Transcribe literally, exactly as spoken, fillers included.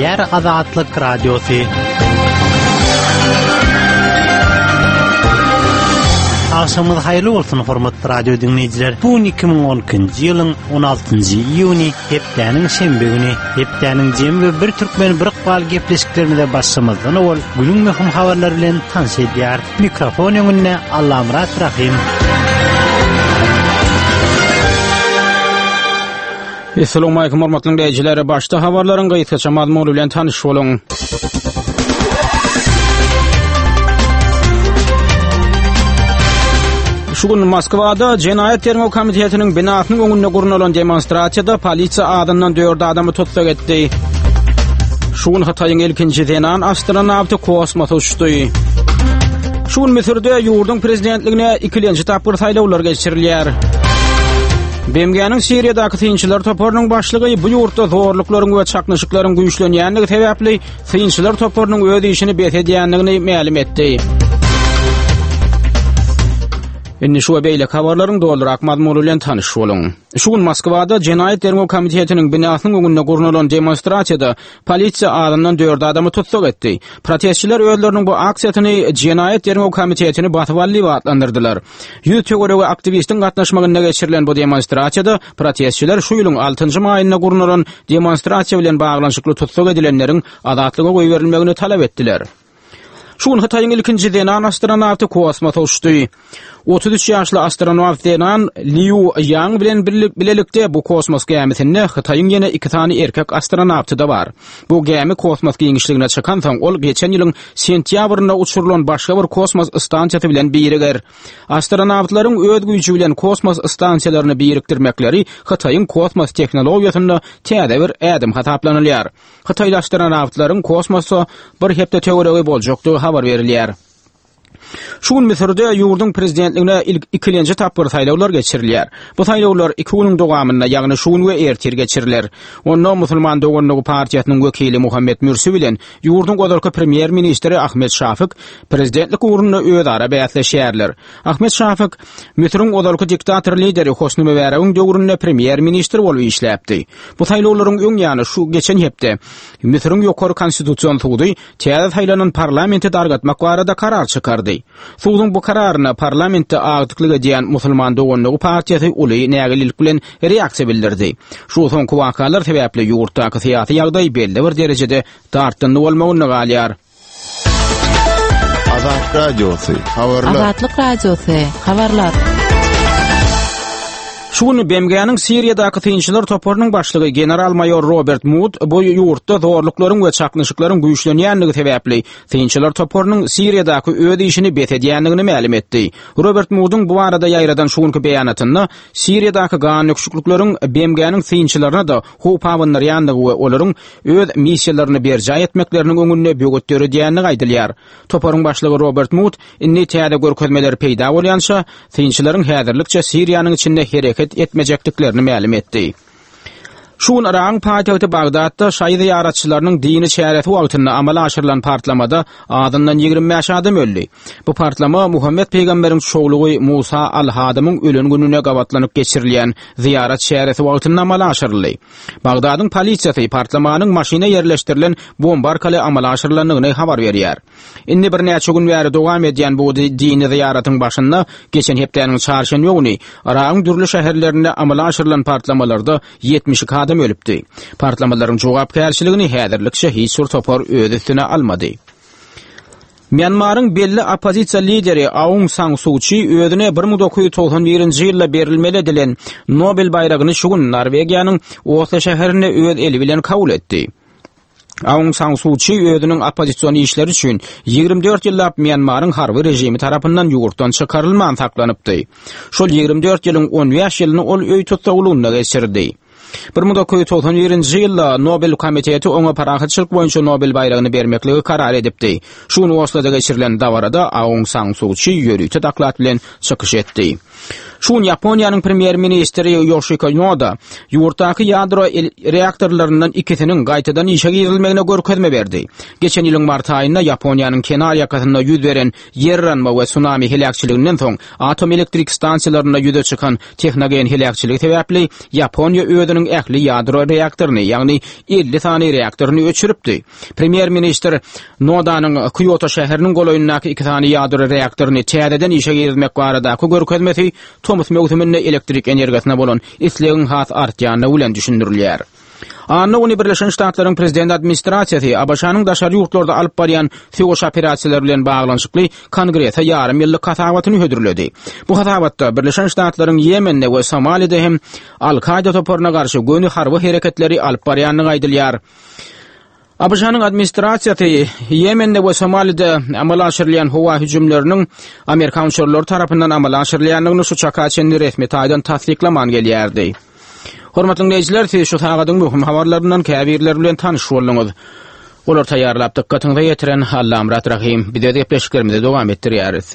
Gepleýär Azatlyk Radiosy. Agşamyňyz haýyrly bolsun, hormatly radio diňleýjiler. Bu gün iki müň on ikinji ýylyň on altynjy iýuny, hepdäniň şenbe güni. Hepdäniň jemi we bir türkmen bir ykbal gepleşiklerimize başlamazdan owal günüň möhüm habarlary bilen tanyş edýär. Mikrofon öňünde Allamyrat Rahim. Assalamu alaykum hormatly dinleýjiler. Başda habarlaryň gysgaça mazmuny bilen tanyş boluň. Şu gün Moskwada Jenaýat Derňew Komitetiniň binasynyň öňünde gurnalan demonstrasiýada polisiýa adyndan dört adamy tussag etdi. Şu gün Hytaýyň ilkinji zenan astronawty kosmosa uçdy. Şu gün Müsürde ýurduň prezidentligine ikilenji tapgyr saýlawlar geçirilýär. B M G-niň Siriýadaky synçylar toparynyň başlygy bu ýurtda zorluklaryň we çaknyşyklaryň güýçlenýändigi sebäpli synçylar toparynyň öz işini bes edýändigini mälim etdi. Indi şu we beýleki habarlaryň dolurak mazmuny bilen tanyş boluň. Şu gün Moskwada Jenaýat Derňew Komitetiniň binasynyň öňünde gurnalan demonstrasiýada polisiýa azyndan dört adamy tussag etdi. Protestçiler özleriniň bu aksiýasyny Jenaýat Derňew Komitetini basyp aldy diýip atlandyrdylar. Ýüz töweregi aktiwistiň gatnaşmagynda geçirilen bu demonstrasiýada protestçiler şu ýylyň altynjy maýynda gurnalan demonstrasiýa bilen baglanyşykly tussag edilenleriň azatlyga goýberilmegini talap etdiler. Şu gün Hytaýyň ilkinji zenan astronawty kosmosa uçdy. Otuz üç ýaşly astronawt zenan Liu Yang bilen bilelikde bu kosmos gämisinde Hytaýyň ýene iki sany erkek astronawty da bar. Bu gämi kosmos giňişligine çykansoň ol geçen ýylyň sentýabrynda uçurylan başga bir kosmos stansiýasy bilen biriger. Astronawtlaryň öz güýji bilen kosmos stansiýalaryny birikdirmekleri Hytaýyň kosmos tehnologiýasynda täze bir ädim hasaplanylýar. Hytaýly astronawtlaryň kosmosa bir hepde töweregi boljakdygy habar berilýär. Şu gün Müsürde ýurduň prezidentligine ilk ikilenji tapgyr saýlawlar geçirilýär. Bu saýlawlar iki günüň dowamynda, ýagny şu gün we ertir geçiriler. Onda Musulman Doganlygy partiýasynyň wekili Muhammed Mürsi bilen ýurduň ozalky premýer-ministri Ahmed Şafik prezidentlik ugrunda özara bäsleşýärler. Ahmed Şafik Müsüriň ozalky diktator lideri Hosni Mübaregiň döwründe premýer-ministr bolup işläpdi. Bu saýlawlaryň öň ýany şu geçen hepde Müsüriň ýokary konstitusion sudy täze saýlanan parlamenti dargatmak barada karar çykardy. Suduň bu kararyna parlamentde agdyklyk edýän Musulman Doganlygy partiýasy uly nägilelik bilen reaksiýa bildirdi. Şu soňky wakalar sebäpli ýurtdaky syýasy ýagdaý belli bir derejede dartgynly bolmagynda galýar. Azat Radiosy, habarlar. Azatlyk Radiosy, habarlar. Şu gün B M G-niň Siriýadaky synçylar toparynyň başlygy general-maýor Robert Mood bu ýurtda zorluklaryň we çaknyşyklaryň güýçlenýändigi sebäpli synçylar toparynyň Siriýadaky öz işini bes edýändigini mälim etdi. Robert Moodyň bu barada ýaýradan şu günki beýanatynda Siriýadaky gan döküşiklikleriň B M G-niň synçylaryna da howp abandyrýandygy we olaryň öz missiýalaryny berjaý etmekleriniň öňünde böwet döredýändigi aýdylýar. Toparyň başlygy Robert Mood indi täze görkezmeler peýda bolýança synçylaryň häzirlikçe Siriýanyň içinde hereket etmejekdiklerini mälim etdi. Şu gün Yragyň paýtagty Bagdatda şaýy zyýaratçylarynyň dini çäresi wagtynda amala aşyrylan partlamada azyndan ýigrimi bäş adam öldi. Bu partlama Muhammed peýgamberiň çowlugy Musa al-Hadymyň ölen gününe gabatlanyp geçirilýän zyýarat çäresi wagtynda amala aşyryldy. Bagdadyň polisiýasy partlamanyň maşyna ýerleşdirilen bomba arkaly amala aşyrylandygyny habar berýär. Indi birnäçe gün bäri dowam edýän bu dini zyýaratyň başynda geçen hepdäniň çarşenbe güni Yragyň dürli şäherlerinde amala aşyrylan partlamalarda ýetmiş iki adam ölüpdi. Partlamalaryň jogapkärçiligini häzirlikçe hiç bir topar öz üstüne almady. Myanmaryň belli oppozisiýa lideri Aung San Suu Kyi özüne bir müň dokuz ýüz togsan birinji ýylda berilmeli edilen Nobel baýragyny şu gün Norwegiýanyň Oslo şäherinde öz eli bilen kabul etdi. Aung San Suu Kyi özüniň oppozision işleri üçin ýigrimi dört ýyllap Myanmaryň harby režimi tarapyndan ýurtdan çykarylman saklanypdy. Şol ýigrimi dört ýylyň on bäş ýylyny ol öý tussaglygynda geçirdi. Bir müň dokuz ýüz togsan birinji ýylda Nobel komiteti oňa parahatçylyk boýunça Nobel baýragyny bermekligi karar edipdi. Şu gün Osloda geçirilen dabarada Aung San Suu Kyi ýörite doklad bilen çykyş etdi. Şu gün Ýaponiýanyň premýer-ministri Ýoşiko Noda ýurtdaky ýadro reaktorlaryndan ikisiniň gaýtadan işe girizilmegine görkezme berdi. Geçen ýylyň mart aýynda Ýaponiýanyň kenar ýakasynda ýüz beren ýer yranma we sunami heläkçiliginden soň atom elektrik stansiýalarynda ýüze çykan tehnogen heläkçiligi sebäpli Ýaponiýa özüniň ähli ýadro reaktoryny, ýagny elli sany reaktoryny öçüripdi. Premýer-ministr Nodanyň Kýoto şäheriniň golaýyndaky iki sany ýadro reaktoryny täzeden işe girizmek baradaky görkezmesi tomus möwsüminde elektrik energiýasyna bolan islegiň has artýandygy bilen düşündirilýär. Anna güni Birleşen Ştatlaryň Prezident administrasiýasy ABŞ-nyň daşary ýurtlarda alyp barýan söweş operasiýalary bilen baglanyşykly Kongrese ýarym ýyllyk hasabatyny hödürledi. Bu hasabatda Birleşen Ştatlaryň Ýemende we Somalide hem Al-Kaýda toparyna garşy göni harby hereketleri alyp barýandygy aýdylýar. ABŞ-nyň administrasiýasy Ýemende we Somalide amala aşyrylýan howa hüjümleriniň amerikan uçarlary tarapyndan amala aşyrylýandygyny şu çaka çenli resmi taýdan tassyklaman gelýärdi. Hormatly dinleýjiler, siz şu sagadyň möhüm habarlaryndan käbirleri bilen tanyş bolduňyz. Olar taýýarlap dykgatyňyza ýetiren Allamyrat Rahym. Biz öz gepleşiklerimizi dowam etdirýäris.